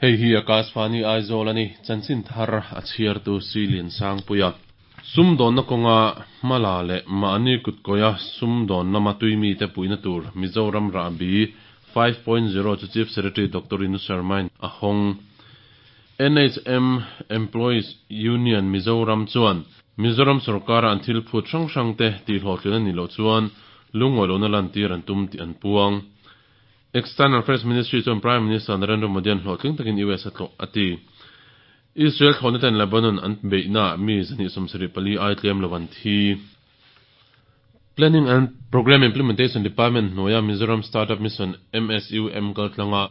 Hei hi Akashvani Aizawl a ni, chanchin thar a chhiartu Silian Sangpuia. Sumdawnna kawnga hmala leh mahni kutkawia sumdawn lama tuimite puihna tur Mizoram Rahbi 5.0 chu Chief Secretary Doctor Rinu Sharma-in a hawng. NHM Employees Union Mizoram chuan Mizoram sorkara an thil phut hrang hrangte tihhlawhtlin a nih loh chuan lungawi lohna lantir an tum tih an puang. External Affairs Ministry chuan Prime Minister Narendra Modi-a'n hlawhtling takin US a tlawh a ti. Israel thlawhna ten Lebanon an beihnaah mi 274 ai tlem lo an thi. Planning and Programme Implementation Department hnuaia Mizoram Startup Mission, MSUM, kaltlanga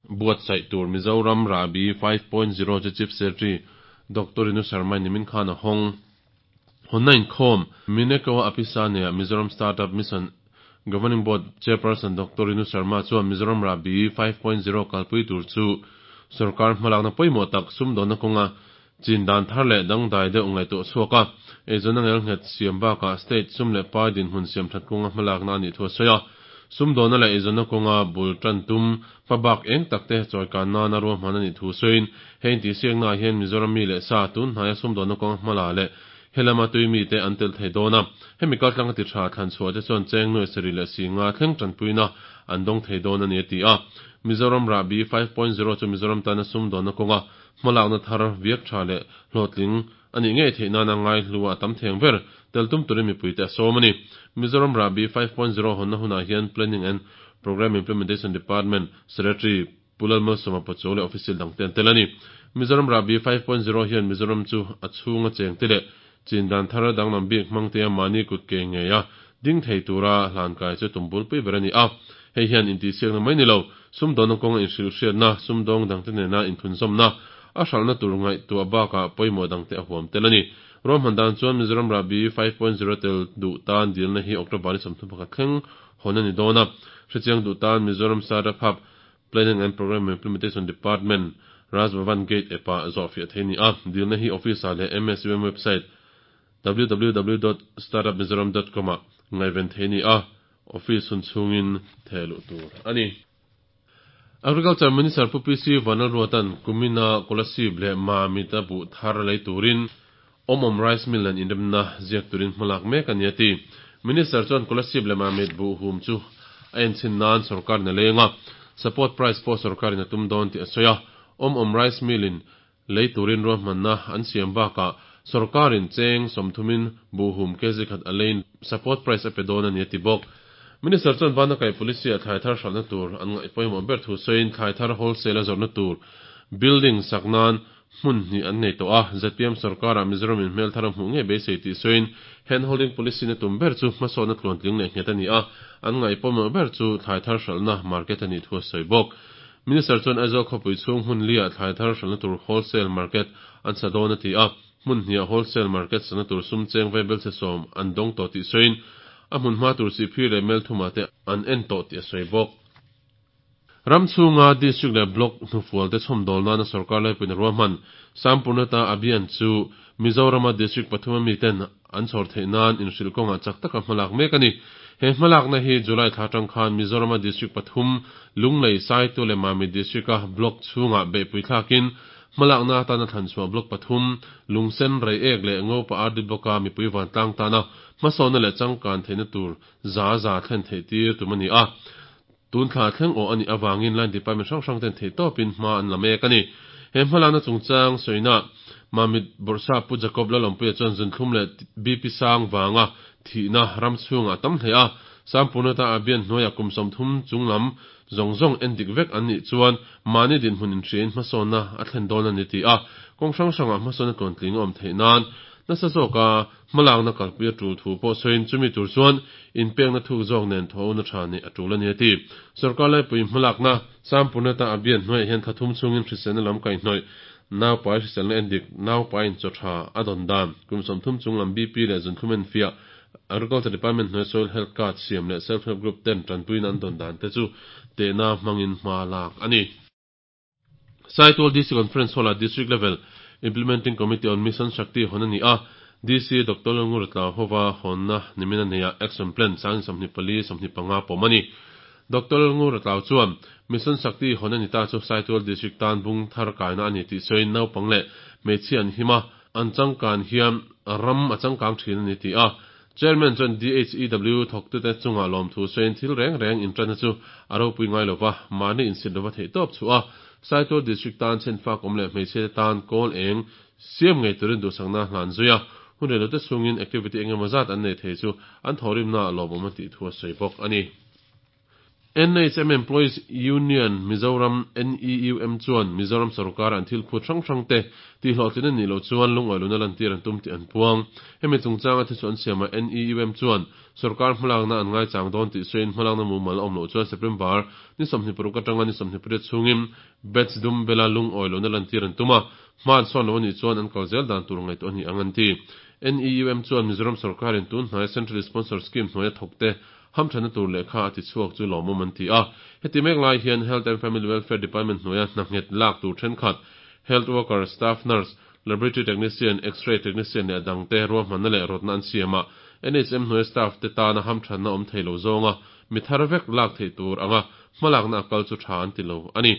buatsaih tur Mizoram Rahbi 5.0 chu Chief Secretary Doctor Rinu Sharma-in nimin khan a hawng. Hawnna inkhawm, Mineko Apisa neia Mizoram Startup Mission Governing Board Chairperson Doctor Rinu Sharma chuan Mizoram Rahbi 5.0 kalpui tur chu sorkar hmalakna pawimawh tak sumdawnna kawnga chin dan thar leh dangdai deuh ngaihtuah chhuak a, eizawnna ngelnghet siam bakah state sum leh pai dinhmun siam that kawnga hmalakna a nih thu a sawi a. Sumdawnna leh eizawnna kawnga bul tan tum hmabak eng takte chawikan nana ruahman a nih thu sawiin, hei intihsiaknaah hian Mizoram mi leh sa tun hnaia sumdawnna kawnga hmala leh helama tui mite an tel thei dawn a. Hemi kaltlanga ti tha thlan chhuah te chuan cheng nuai sarih leh si nga thleng tanpuina an dawng thei dawn a ni a ti a. Mizoram Rahbi 5.0 chu Mizoram tana sumdawnna kawnga hmalakna thar viak tha leh hlawhtling a nih ngei theih nana ngaihlu a tam theng ber tel tum turin mipuite a sawm a ni. Mizoram Rahbi 5.0 hawnna hunah hian Planning and Programme Implementation Department Secretary Pu Lalmalsawma Pachuau leh official dangte an tel a ni. Mizoram Rahbi 5.0 hian Mizoram chu a chhunga chengte leh chin dan thar danglam bik hmangtea mahni kut ke ngeia ding thei tura hlankai chu tum bulpui ber a ni a. Hei hian intihsiakna mai ni lo, sumdawnna kawnga inhrilhhriatna, sumdawng dangte nena inthunzawmna, a hralhna tur ngaihtuah bakah pawimawh dangte a huam tel a ni. Ruahman dan chuan Mizoram Rahbi 5.0 tel duh tan dilna hi October ni 31 thleng hawn a ni dawn a. Hrechiang duh tan Mizoram Startup Hub, Planning and Programme Implementation Department, Raj Bhavan Gate epah zawhfiah thei a ni a. Dilna hi office-ah leh MSUM website www.startupmizoram.com ah ngaihven thei a ni a, office hun chhungin theh luh tur a ni. Agriculture Minister Pu PC Vanlalruata'n kumina Kolasib leh Mamit-a buh thar lei turin Awmawm Rice Mill nen inremna ziak turin hmalak mek a ni a ti. Minister chuan Kolasib leh Mamit buh hum chu a enchhin nan sorkarin a leng a, support price pawh sorkarin a tum dawn tih a sawi a. Awmawm Rice Mill in lei turin ruahmanna an siam bakah sorkarin cheng sawmthumin buh hum kg khat a leiin support price a pe dawn a ni a ti bawk. Minister chuan Banakai Police-ah thlai thar hralhna tur an ngaih pawimawh ber thu sawiin thlai thar wholesale a zawrhna tur building sak nan hmun hnih an nei tawh a, zpm sorkarah Mizoram in hmel thar a hmuh ngei beisei tih sawiin hand holding policy na tum ber chu hmasawnna tluantling leh nghet a ni a, an ngaih pawimawh ber chu thlai thar hralhna market a nih thu a sawi bawk. Minister chuan Aizawl khawpui chhung hmun liah thlai thar hralhna tur wholesale market an sa dawn a ti a, hmun hniah wholesale market sana tur sum cheng vaibel chhe sawm an dawng tawh tih sawiin a hmun hma tur sihphir leh melthumah te an en tawh tih a sawi bawk. Ram chhunga District leh Block hnufual te chhawmdawl nana sorkar laipuina ruahman Sampurnata Abhiyan chu Mizorama District pathum a miten an chhawr theih nan inhrilh kawngah chak taka hmalak mek a ni. He hmalakna hi July thla atang khan Mizorama District pathum Lunglei, Saitu leh Mamit District-a Block chhungah beihpui thlakin hmalakna atana thlanchhuah Block pathum Lungsen, Reiek leh Ngopa RD Block-a mipui vantlang tana hmasawnna leh changkan theihna tur za za thlen theih tir tum a ni a. Tun thla thleng awh a nih avangin line department hrang hrang ten theihtawpin hma an la mek a ni. He hmalakna chungchang sawina Mamit Bawrhsa Pu Jacob Lalawmpuia chuan zunthlum leh BP sang vanga thihna ram chhungah a tam hle a, Sampurnata Abhiyan hnuaiah kum 30 chunglam zawng zawng en dik vek an nih chuan mahni dinhmun inhriain hmasawnna a thlen dawn a ni ti a, kawng hrang hrangah hmasawnna tluantling a awm theih nan nasa zawka Hmalakna kalpui a tul thu pawh sawiin chumi tur chuan inpekna thuk zawk nen thawhna tha neih a tul a ni a ti. Sorkar laipui hmalakna Sampurnata Abhiyan hnuaiah hian thla thum chhungin hriselna lam kaihhnawih, naupai hriselna endik, naupaiin chaw tha a dawn dan, kum 30 chunglam BP leh zunthlum enfiah, Agriculture Department hnuaia Soil Health Card siam leh Self Help Group ten tanpuina an dawn dan te chu tehna hmangin hma lak a ni. Saitual DC Conference Hall-ah District Level Implementing Committee on Mission Shakti hawn a ni a. DC Doctor Lalngura Tlau hova hawnna nimin a neihah Action Plan 2024, 25 pawm a ni. Doctor Lalngura Tlau chuan Mission Shakti hawn a ni ta chu Saitual District tan bung thar kaina a ni tih sawiin naupang leh hmeichhia an him a, an changkan hian ram a changkang thin a ni ti a. Chairman chuan DHEW thawktute chungah lawmthu sawiin thil reng reng inṭanna chu a ropui ngai lova, mahni insit lova theihtawp chhuah a, Saitual District tan chhenfak awm leh hmeichhiate tan kawl eng siam ngei turin duhsakna hlan zui a, hun reilote chhungin activity engemaw zat an nei thei chu an thawhrimna ah lawmawm a tih thu a sawi bawk a ni. NHM Employees Union Mizoram, NEUM, chuan Mizoram sorkara an thil phut hrang hrangte tihhlawhtlin a nih loh chuan lungawihluna lantir an tum tih an puang. Hemi chungchanga thuchhuah an siamah NEUM chuan sorkar hmalakna an ngaichang dawn tih sawiin hmalakna mumal a awm loh chuan September ni 26 atanga ni 28 chhungin Batch dum bela lungawihluna lantir an tum a, hma an sawn lo a nih chuan an kal zel dan tur ngaihtuah a ni ang an ti. NEUM chuan Mizoram sorkarin tun hnaia Central Sponsor Scheme hnuaia thawkte Hamthanna tur lehkha a ti chhuak chu lawmawm an ti a. Heti mek lai hian Health and Family Welfare Department hnuaia hna nghet lak tur thenkhat, Health Worker, Staff Nurse, Laboratory Technician, X-ray Technician leh a dangte ruahmanna leh rawtna an siam a. NHM hnuaia staff te tana hamthanna awm thei lo zawnga mi thar vek lak theih tur anga hmalakna a kal chu tha an ti lo a ni.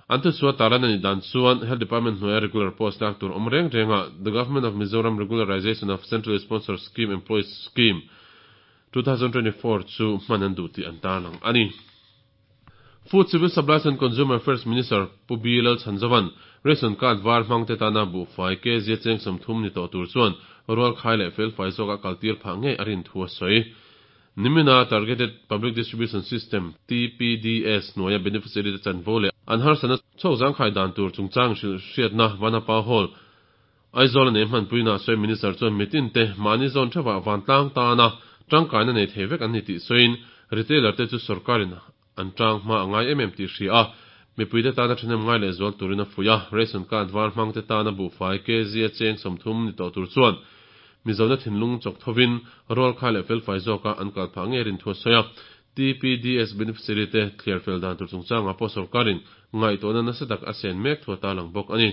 An thuchhuah tarlan a nih dan chuan Health Department hnuaia regular post lak tur awm reng renga The Government of Mizoram Regularization of Centrally Sponsored Scheme Employees Scheme, 2024 chu hman an duh tih an tarlang a ni. Food, Civil Supplies and Consumer Affairs Minister Pu B Lalchhanzova'n Ration Card var hmangte tana buhfai kg cheng 30 ni tawh tur chuan rualkhai leh felfai zawka kaltir phah ngei a rin thu a sawi. Nimina Targeted Public Distribution System, TPDS, hnuaia beneficiary te chanvo leh an harsatna chhawk zangkhai dan tur chungchang hrilhhriatna Vanapa Hall Aizawl a nei hmanpuina sawi Minister chuan mitin te mahni zawn theuhah vantlang tana tangkaina nei thei vek an ni tih sawiin retailer te chu sorkarin an tang hma a ngai em em tih hria a, mipuite tana thahnem ngai leh zual turin a fuih a, ration card var hmang te tana buhfai kg a cheng 30 ni tawh tur chuan Mizona thinlung chawk thovin rualkhai leh felfai zawka an kal phah ngei rin thu a sawi a. TPDS beneficiary te thliar fel dan tur chungchangah pawh sorkarin ngaihtuahna nasa tak a sen mek thu a tarlang bawk a ni.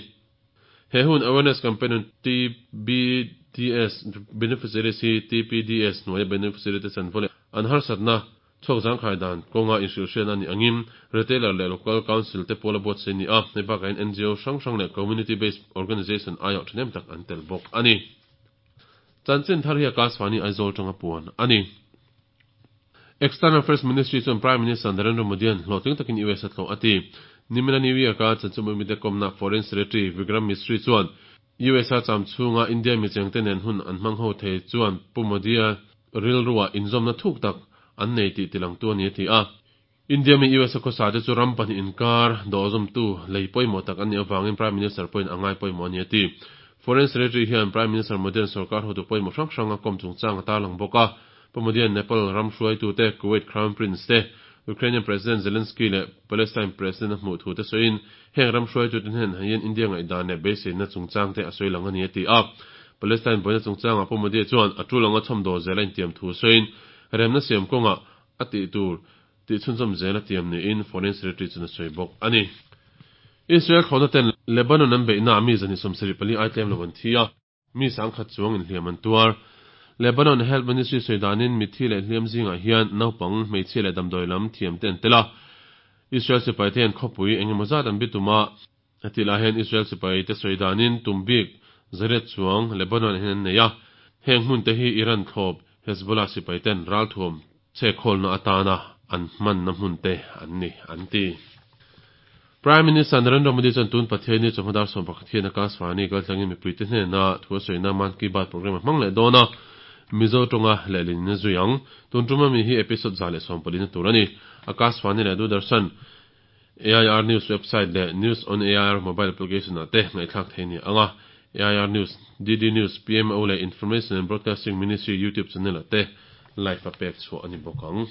He hun awareness campaign hun TBDS beneficiaries hi TPDS hnuaia beneficiary te chanvo leh an harsatna chhuak zangkhai dan kawnga inhrilhhriatna a nih angin retailer leh local council te pawl a buatsaih a ni a, hei bakah hian NGO hrang hrang leh community based organization aiawh thahnem tak an tel bawk a ni. Chanchin thar hi Akashvani Aizawl tanga puan a ni. External Affairs Ministry chuan Prime Minister Narendra Modi-a'n hlawhtling takin US a tlawh a ti. Nimina New York-a chanchinbu mite kawmna Foreign Secretary Vikram Misri chuan US-a cham chhunga India michengte nen hun an hmang ho thei chuan Pu Modi-a rilruah inzawmna thuk tak an nei tih tilangtu a ni a ti a. India mi US-a khawsa te chu ram pahnih inkar dawhzawmtu lei pawimawh tak an nih avangin Prime Minister pawhin a ngai pawimawh a ni a ti. Foreign Secretary hian Prime Minister Modi-a'n sorkar hotu pawimawh hrang hrang a kawm chungchang a tarlang bawk a. Pu Modi-a'n Nepal ram hruaitute, Kuwait Crown Prince te, Ukrainian President Zelensky leh Palestine President a hmuh thu te sawiin heng ram hruaitute hnenah hian India ngaihdan leh beiseina chungchang te a sawi lang a ni a ti a. Palestine buaina chungchangah Pu Modi-a chuan a tul anga chhawmdawl zel a intiam thu sawiin remna siam kawngah a tih tur tih chhunzawm zel a tiam niin Foreign Secretary chuan a sawi bawk a ni. Israel thlawhna ten Lebanon an beihna ah mi 24 ai tlem lo an thi a, mi 10,000 chuang inhliam an tuar. Lebanon Health Ministry sawi danin mitthi leh hliam zingah hian naupang, hmeichhia leh damdawi lam thiam te an tel a. Israel sipai te hian khawpui engemaw zat an bitum a, Heti lai hian Israel sipai te sawi danin tum bik zariat chuang Lebanon ah hian an nei a, heng hmun te hi Iran thlawp Hezbollah sipai ten ralthuam chhekhawlna atana an hmanna hmun te an ni, an ti. Prime Minister Narendra Modi chuan tun Pathianni chawhma dar 11 hian Akashvani kaltlangin mipuite hnena thu a sawina Mann Ki Baat programme a hmang leh dawn a, Mizo tawnga lehlin in a zui ang. Tun tuma mi hi episode 114 na tur a ni. Akashvani leh Doordarshan AIR News website leh News on AIR mobile application ah te ngaihthlak thei a ni ang a, AIR News, DD News, PMO leh Information and Broadcasting Ministry YouTube channel ah te live a pek chhuah a ni bawk ang.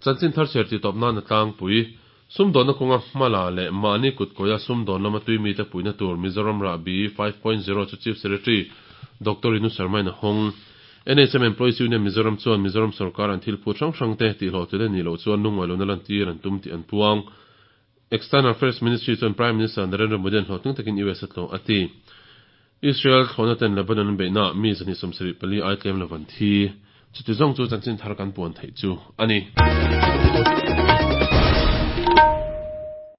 Chanchin thar chhiar tih tawp nan a tlangpui. Sumdawnna kawnga hmala leh mahni kutkawia sumdawn lama tui mite puihna tur Mizoram Rahbi 5.0 chu Chief Secretary Doctor Rinu Sharma in a hawng. NHM Employees Union Mizoram chuan Mizoram sorkar an thil phut hrang hrangte tihhlawhtlin a nih loh chuan lungngaih lohna lantir an tum tih an puang. External Affairs Ministry chuan Prime Minister Narendra Modi-a'n hlawhtling takin US a tlawh a ti. Israel thlawhna ten Lebanon an beihnaah mi 274 ai tlem lo an thi. Chuti zawng chu chanchin thar kan puan theih chu a ni.